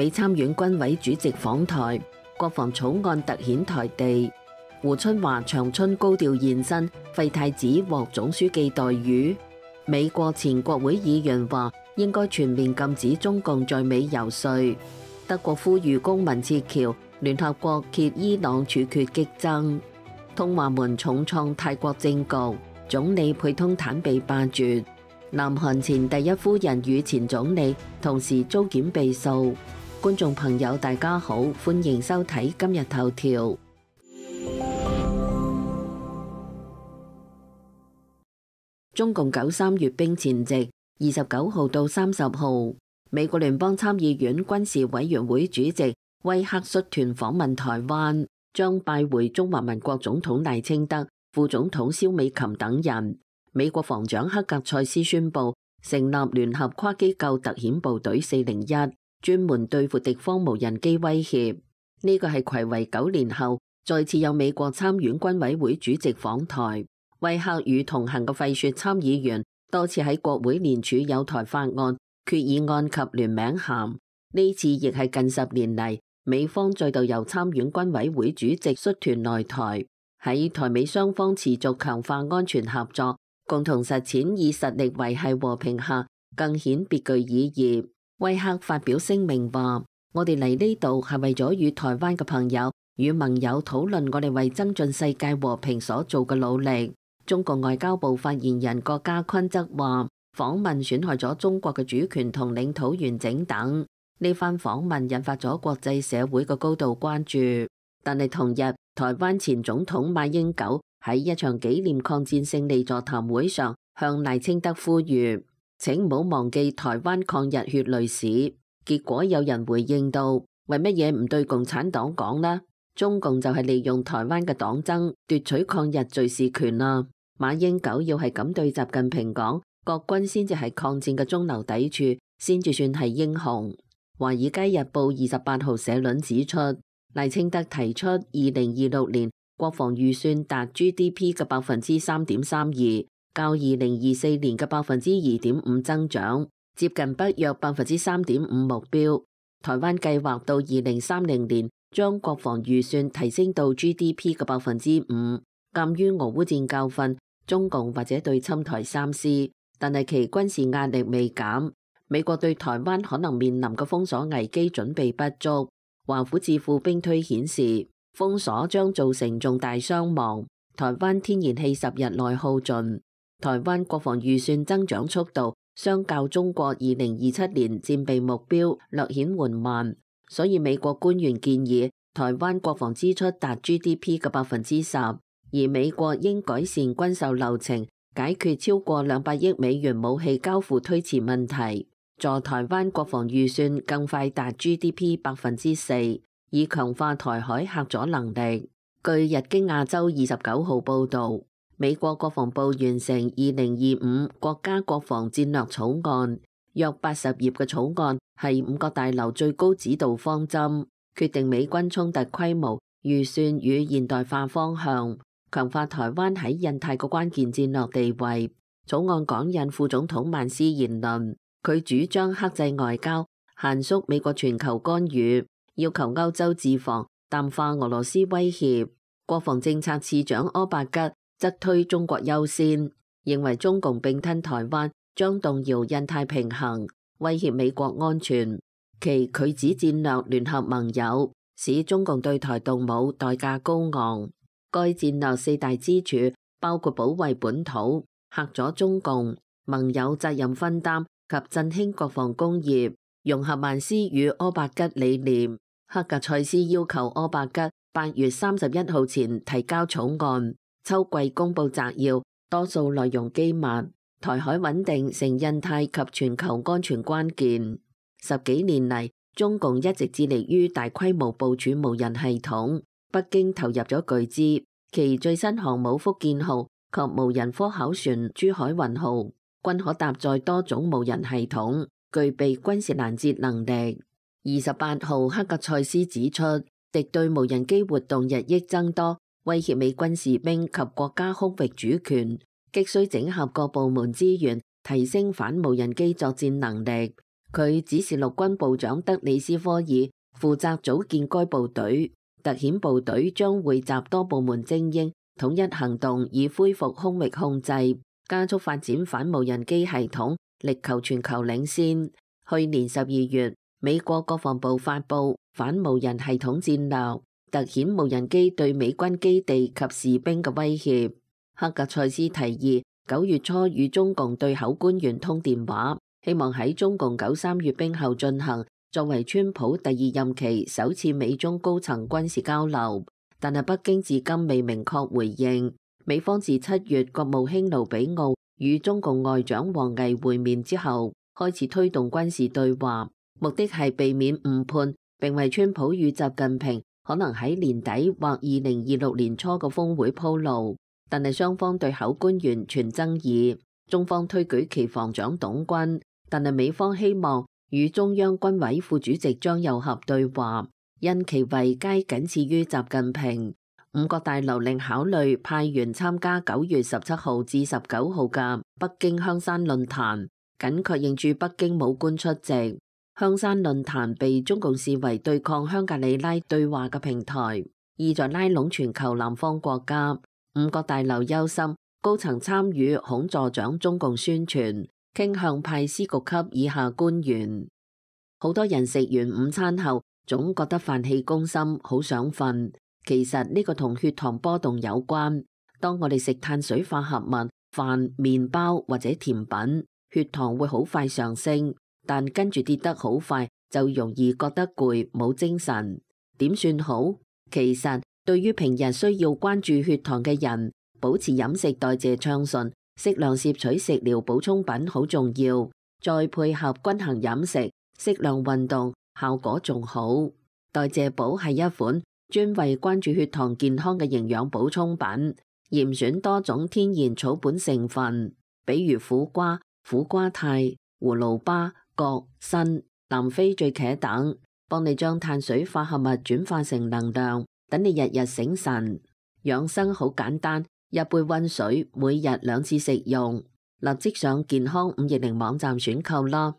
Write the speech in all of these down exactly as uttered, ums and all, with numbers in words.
美參院軍委主席訪台，國防草案突顯台地。胡春華長春高調現身，廢太子獲總書記待遇。美國前國會議員話應該全面禁止中共在美遊說。德國呼籲公民撤僑，聯合國揭伊朗處決激增。通話門重創泰國政局，總理佩通坦被罷黜。南韓前第一夫人與前總理同時遭檢被訴。觀眾朋友大家好，歡迎收睇今日頭條。中共九三閱兵前夕，二十九號到三十號，美國聯邦參議院軍事委員會主席威克率團訪問台灣，將拜會中華民國總統賴清德、副總統蕭美琴等人。美國防長克格塞斯宣布成立聯合跨機構特遣部隊四零一，專門對付敵方無人機威脅。呢個係睽違九年後再次有美國參院軍委會主席訪台。威克與同行嘅費雪參議員多次喺國會聯署友台法案、決議案及聯名函。呢次亦係近十年嚟美方再度由參院軍委會主席率團來台，喺台美雙方持續強化安全合作，共同實踐以實力維繫和平下，更顯別具意義。威克發表聲明話：我哋嚟呢度係為咗與台灣嘅朋友與盟友討論我哋為增進世界和平所做嘅努力。中國外交部發言人郭家坤則話：訪問損害咗中國嘅主權同領土完整等。呢番訪問引發咗國際社會嘅高度關注。但係同日，台灣前總統馬英九喺一場紀念抗戰勝利座談會上向賴清德呼籲：請唔好忘記台灣抗日血淚史。結果有人回應到：為乜嘢唔對共產黨講呢？中共就係利用台灣嘅黨爭奪取抗日敘事權啦。馬英九要係咁對習近平講，國軍先至係抗戰嘅中流砥柱，先至算係英雄。華爾街日報二十八號社論指出，賴清德提出二零二六年國防預算達 G D P 嘅百分之三點三二，較二零二四年嘅百分之二點五增長，接近北約百分之三點五目標。台灣計劃到二零三零年將國防預算提升到 G D P 嘅百分之五。鑒於俄烏戰教訓，中共或者對侵台三思，但係其軍事壓力未減。美國對台灣可能面臨嘅封鎖危機準備不足。華府智庫兵推顯示，封鎖將造成重大傷亡。台灣天然氣十日內耗盡。台灣國防預算增長速度相較中國二零二七年戰備目標略顯緩慢，所以美國官員建議台灣國防支出達 G D P 嘅百分之十。而美國應改善軍售流程，解決超過兩百億美元武器交付推遲問題，助台灣國防預算更快達 G D P 百分之四，以強化台海嚇阻能力。據日經亞洲二十九號報導，美國國防部完成二零二五國家國防戰略草案，約八十頁嘅草案係五角大樓最高指導方針，決定美軍衝突規模、預算與現代化方向。強化台灣喺印太嘅關鍵戰略地位。草案講引副總統曼斯言論，佢主張克制外交，限縮美國全球干預，要求歐洲自防，淡化俄羅斯威脅。國防政策次長柯伯吉則推中國優先，認為中共併吞台灣將動搖印太平衡，威脅美國安全。其拒止戰略聯合盟友，使中共對台動武代價高昂。該戰略四大支柱包括保衛本土、嚇阻中共、盟友責任分擔及振興國防工業，融合曼斯與柯伯吉理念。克格塞斯要求柯伯吉八月三十一號前提交草案，秋季公布摘要，多數內容機密。台海穩定成印太及全球安全關鍵。十幾年嚟，中共一直致力於大規模部署無人系統。北京投入咗巨資，其最新航母福建號及無人科考船珠海運號均可搭載多種無人系統，具備軍事攔截能力。二十八號，克格塞斯指出，敵對無人機活動日益增多，威脅美軍士兵及國家空域主權，急需整合各部門資源，提升反無人機作戰能力。佢指示陸軍部長德里斯科爾負責組建該部隊，特遣部隊將匯集多部門精英，統一行動，以恢復空域控制，加速發展反無人機系統，力求全球領先。去年十二月，美國國防部發布反無人系統戰略，突顯無人機對美軍基地及士兵嘅威脅。克格塞斯提議九月初與中共對口官員通電話，希望喺中共九三閱兵後進行，作為川普第二任期首次美中高層軍事交流。但係北京至今未明確回應。美方自七月國務卿盧比奧與中共外長王毅會面之後，開始推動軍事對話，目的係避免誤判，並為川普與習近平可能喺年底或二零二六年初嘅峰會鋪路。但係雙方對口官員存爭議，中方推舉其防長董軍，但係美方希望與中央軍委副主席張又俠對話，因其位階僅次於習近平。五角大樓另考慮派員參加九月十七號至十九號嘅北京香山論壇，僅確認駐北京武官出席。香山論壇被中共視為對抗香格里拉對話嘅平台，意在拉攏全球南方國家。五角大樓憂心高層參與恐助長中共宣傳，傾向派司局級以下官員。好多人食完午餐後總覺得飯氣攻心，好想瞓。其實呢個同血糖波動有關。當我哋食碳水化合物、飯、麵包或者甜品，血糖會好快上升，但跟住跌得好快，就容易覺得攰，冇精神。點算好？其實對於平日需要關注血糖嘅人，保持飲食代謝暢順，適量攝取食療補充品好重要，再配合均衡飲食、適量運動，效果仲好。代謝寶係一款專為關注血糖健康嘅營養補充品，嚴選多種天然草本成分，比如苦瓜、苦瓜肽、葫蘆巴、葛、參、南非醉茄等，幫你將碳水化合物轉化成能量，等你日日醒神。養生好簡單，一杯溫水，每日兩次食用。立即上健康五二零網站選購啦。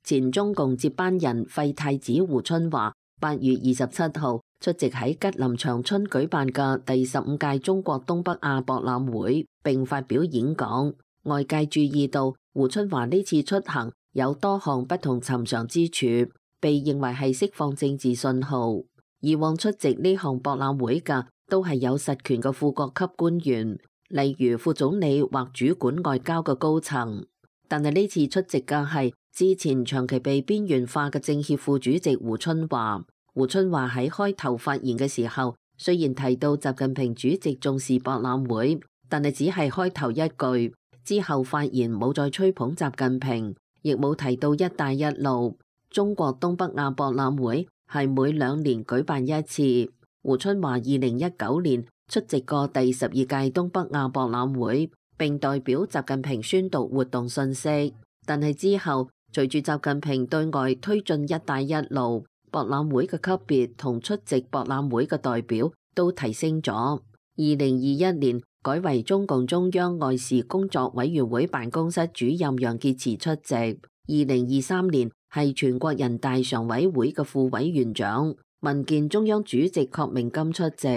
前中共接班人廢太子胡春華八月二十七號出席喺吉林長春舉辦嘅第十五屆中國東北亞博覽會，並發表演講。外界注意到胡春華呢次出行有多項不同尋常之處，被認為係釋放政治信號。以往出席呢項博覽會嘅都係有實權嘅副國級官員，例如副總理或主管外交嘅高層。但係呢次出席嘅係之前長期被邊緣化嘅政協副主席胡春華。胡春華喺開頭發言嘅時候，雖然提到習近平主席重視博覽會，但係只係開頭一句，之後發言冇再吹捧習近平，亦冇提到一帶一路。中國東北亞博覽會係每兩年舉辦一次。胡春華二零一九年出席過第十二屆東北亞博覽會，並代表習近平宣讀活動信息。但係之後，隨住習近平對外推進一帶一路，博覽會嘅級別同出席博覽會嘅代表都提升咗。二零二一年改為中共中央外事工作委員會辦公室主任楊潔篪出席。二零二三年係全國人大常委會嘅副委員長，民建中央主席郝明金出席。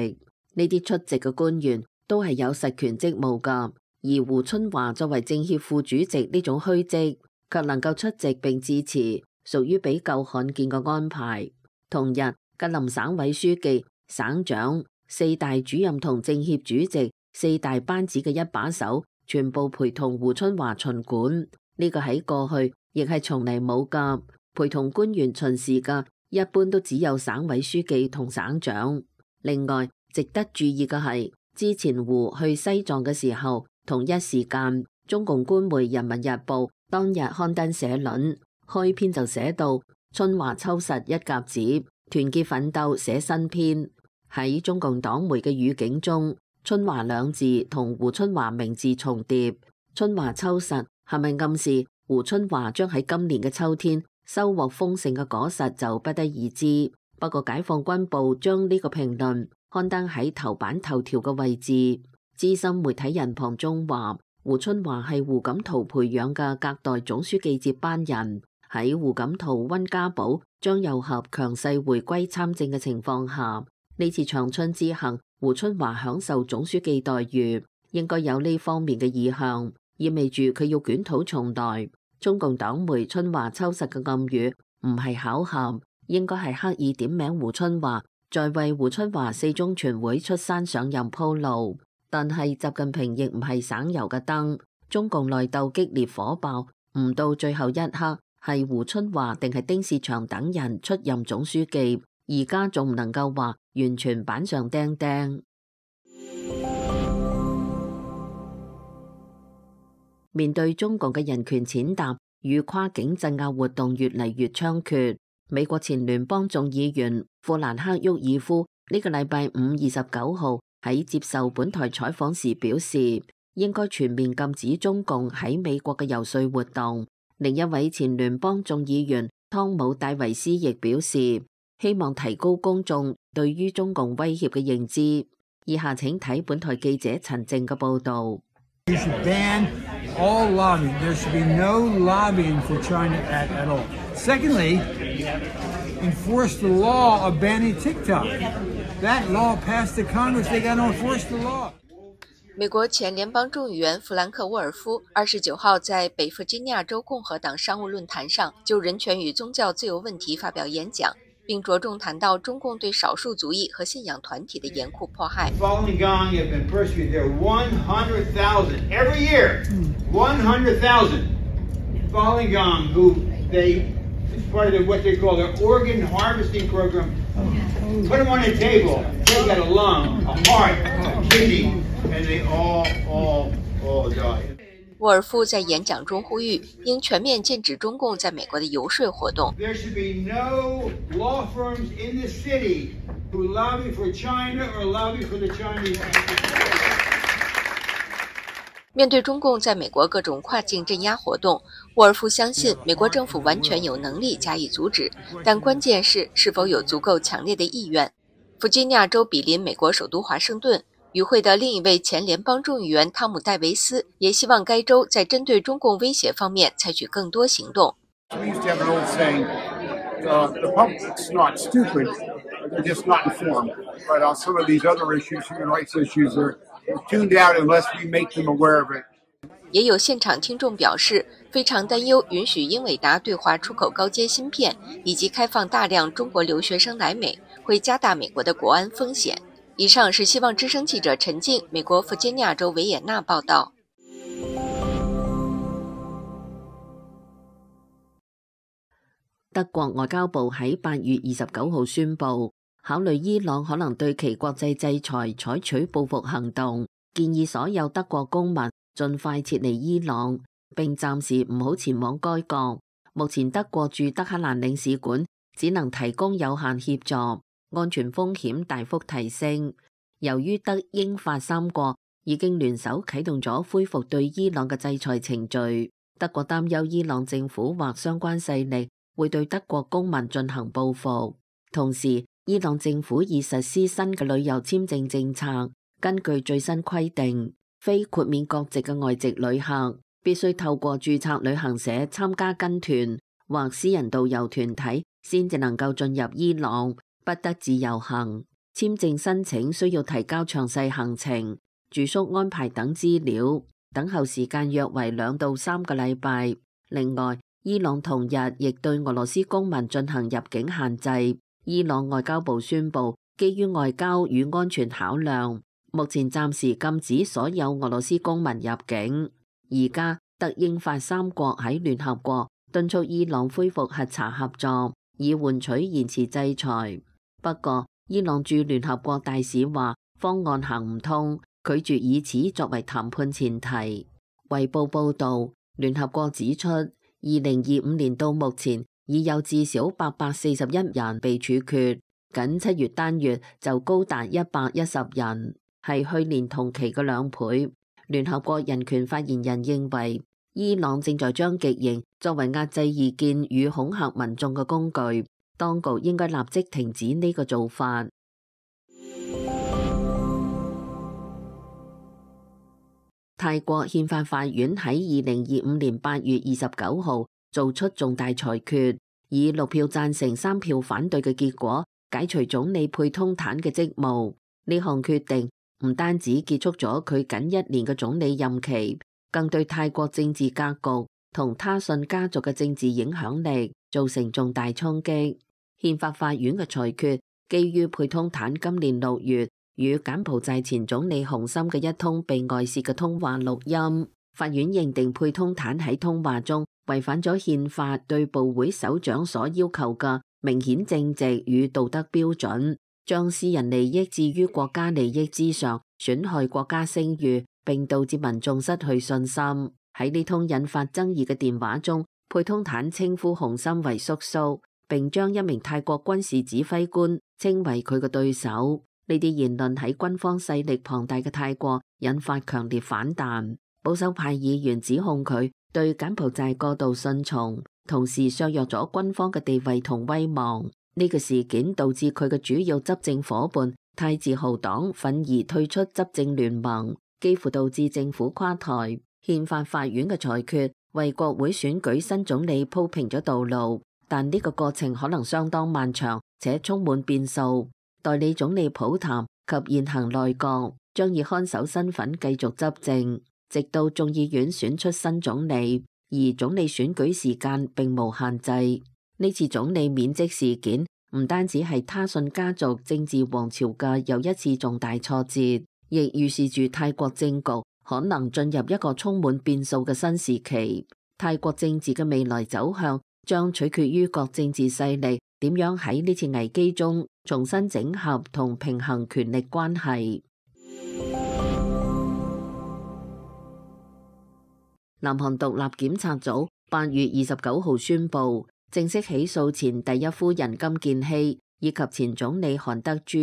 呢啲出席嘅官員都係有實權職務㗎，而胡春華作為政協副主席呢種虛職，卻能夠出席並致辭，屬於比較罕見嘅安排。同日，吉林省委書記、省長、四大主任同政協主席四大班子嘅一把手，全部陪同胡春華巡館。呢個喺過去亦係從嚟冇㗎，陪同官員巡視嘅一般都只有省委書記同省長。另外，值得注意嘅係，之前胡去西藏嘅時候，同一時間，中共官媒《人民日報》當日刊登社論，開篇就寫到春華抽實一甲子，團結奮鬥寫新篇。喺中共黨媒嘅語境中，春華兩字同胡春華名字重疊，春華抽實係咪暗示胡春華將喺今年嘅秋天收穫豐盛嘅果實就不得而知。不過解放軍報將呢個評論刊登喺頭版頭條嘅位置。資深媒體人龐中話，胡春華係胡錦濤培養嘅隔代總書記接班人。喺胡錦濤、溫家寶、張又俠強勢回歸參政嘅情況下，呢次長春之行，胡春華享受總書記待遇，應該有呢方面嘅意向，意味住佢要捲土重來。中共黨媒春華秋實嘅暗語唔係巧合，應該係刻意點名胡春華，在為胡春華四中全會出山上任鋪路。但係習近平亦唔係省油嘅燈，中共內鬥激烈火爆，唔到最後一刻係胡春華定係丁薛祥等人出任總書記，而家仲唔能夠話完全板上釘釘。面對中共嘅人權踐踏與跨境鎮壓活動越嚟越猖獗，美國前聯邦眾議員富蘭克沃爾夫呢個禮拜五二十九號喺接受本台採訪時表示，應該全面禁止中共喺美國嘅游說活動。另一位前聯邦眾議員湯姆戴維斯亦表示，希望提高公眾對於中共威脅嘅認知。以下請睇本台記者陳靜嘅報導。You should ban all lobbying. There should be no lobbying for China at, at all. Secondly, enforce the law of banning TikTok. That law passed the Congress. They got to enforce the law. 美國前聯邦眾議員弗蘭克沃爾夫二十九號在北弗吉尼亞州共和黨商務論壇上就人權與宗教自由問題發表演講，並着重談到中共對少數族裔和信仰團體的嚴酷迫害。Falun Gong have been persecuted. There are one hundred thousand every year. one hundred thousand Falun Gong who they, it's part of what they call their organ harvesting program. Put them on a table. They got a lung, a heart, a kidney, and they all, all, all die. 沃尔夫在演講中呼籲，應全面禁止中共在美國的遊說活動。There should be no law firms in the city who lobby for China or lobby for the Chinese. 面對中共在美國各種跨境鎮壓活動，沃爾夫相信美國政府完全有能力加以阻止，但關鍵是是否有足夠強烈的意願。弗吉尼亞州比鄰美國首都華盛頓。與會的另一位前聯邦眾議員湯姆戴維斯也希望該州在針對中共威脅方面採取更多行動。也有現場聽眾表示，非常擔憂允許英偉達對華出口高階芯片，以及開放大量中國留學生來美，會加大美國的國安風險。以上是希望之聲記者陳靜，美國弗吉尼亞州維也納報道。德國外交部喺八月二十九號宣布，考慮伊朗可能對其國際制裁採取報復行動，建議所有德國公民盡快撤離伊朗，並暫時唔好前往該國。目前德國駐德黑蘭領事館只能提供有限協助。安全風險大幅提升，由於德英法三國已經聯手啟動咗恢復對伊朗嘅制裁程序，德國擔憂伊朗政府或相關勢力會對德國公民進行報復。同時，伊朗政府已實施新嘅旅遊簽證政策，根據最新規定，非豁免國籍嘅外籍旅客必須透過註冊旅行社參加跟團或私人導遊團體，先至能夠進入伊朗。不得自由行，簽證申請需要提交詳細行程、住宿安排等資料，等候時間約為兩到三個禮拜。另外，伊朗同日亦對俄羅斯公民進行入境限制。伊朗外交部宣布，基於外交與安全考量，目前暫時禁止所有俄羅斯公民入境。而家德英法三國喺聯合國敦促伊朗恢復核查合作，以換取延遲制裁。不過，伊朗駐聯合國大使話方案行唔通，拒絕以此作為談判前提。衛報報導，聯合國指出，二零二五年到目前已有至少八百四十一人被處決，僅七月單月就高達一百一十人，係去年同期嘅兩倍。聯合國人權發言人認為，伊朗正在將極刑作為壓制異見與恐嚇民眾嘅工具。當局應該立即停止呢個做法。泰國憲法法院喺二零二五年八月二十九號做出重大裁決，以六票贊成、三票反對嘅結果解除總理佩通坦嘅職務。呢項決定唔單止結束咗佢僅一年嘅總理任期，更對泰國政治格局同他信家族嘅政治影響力造成重大衝擊。憲法法院嘅裁決基於佩通坦今年六月與柬埔寨前總理洪森嘅一通被外泄嘅通話錄音，法院認定佩通坦喺通話中違反咗憲法對部會首長所要求嘅明顯正直與道德標準，將私人利益置於國家利益之上，損害國家聲譽，並導致民眾失去信心。喺呢通引發爭議嘅電話中，佩通坦稱呼洪森為叔叔，並將一名泰國軍事指揮官稱為佢嘅對手。呢啲言論喺軍方勢力龐大嘅泰國引發強烈反彈。保守派議員指控佢對柬埔寨過度順從，同時削弱咗軍方嘅地位同威望。呢個事件導致佢嘅主要執政夥伴泰自豪黨憤而退出執政聯盟，幾乎導致政府垮台。憲法法院嘅裁決為國會選舉新總理鋪平咗道路，但呢個過程可能相當漫長且充滿變數。代理總理普譚及現行內閣將以看守身份繼續執政，直到眾議院選出新總理，而總理選舉時間並無限制。呢次總理免職事件唔單止係他信家族政治王朝嘅又一次重大挫折，亦預示住泰國政局可能進入一個充滿變數嘅新時期。泰國政治嘅未來走向將取決於各政治勢力點樣喺呢次危機中重新整合同平衡權力關係。南韓獨立檢察組八月二十九號宣布，正式起訴前第一夫人金建希以及前總理韓德珠，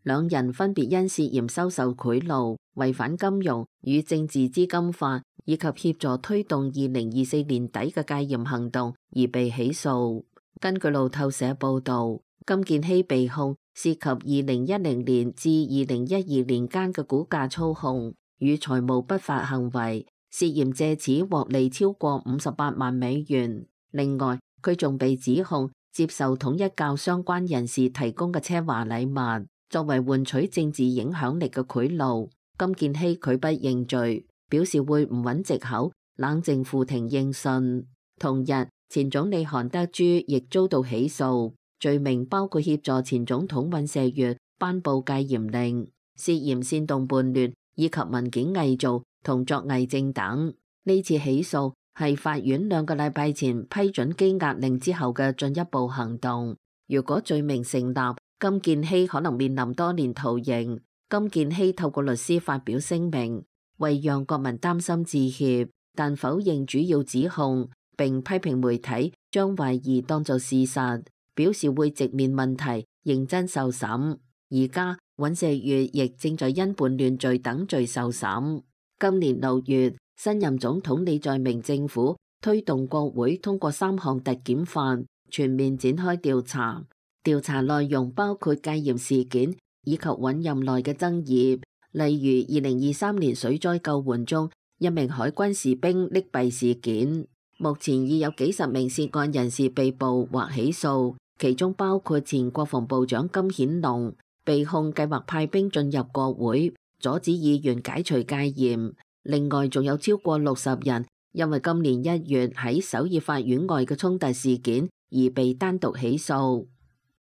兩人分別因涉嫌收受賄賂、違反金融與政治資金法以及協助推動二零二四年底嘅戒嚴行動而被起訴。根據路透社報道，金建希被控涉及二零一零年至二零一二年間嘅股價操控與財務不法行為，涉嫌借此獲利超過五十八萬美元。另外，佢仲被指控接受統一教相關人士提供嘅奢華禮物，作為換取政治影響力嘅賄賂。金建希拒不認罪，表示會唔揾藉口，冷靜付庭應訊。同日，前總理韓德珠亦遭到起訴，罪名包括協助前總統尹錫悅頒布戒嚴令、涉嫌煽動叛亂以及文件偽造同作偽證等。呢次起訴係法院兩個禮拜前批准羈押令之後嘅進一步行動。如果罪名成立，金建希可能面臨多年徒刑。金建希透過律師發表聲明，為讓國民擔心致歉，但否認主要指控，並批評媒體將懷疑當作事實，表示會直面問題，認真受審。而家尹錫悅亦正在因叛亂罪等罪受審。今年六月，新任總統李在明政府推動國會通過三項特檢法，全面展開調查。調查內容包括戒嚴事件以及尹任內嘅爭議，例如二零二三年水災救援中一名海軍士兵溺斃事件。目前已有幾十名涉案人士被捕或起訴，其中包括前國防部長金顯龍，被控計劃派兵進入國會，阻止議員解除戒嚴。另外，仲有超過六十人因為今年一月喺首爾法院外嘅衝突事件而被單獨起訴。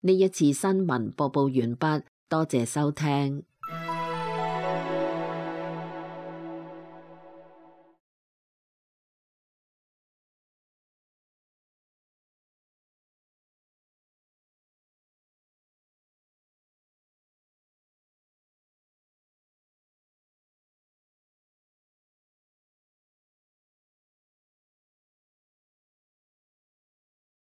呢一次新聞播報完畢，多謝收聽。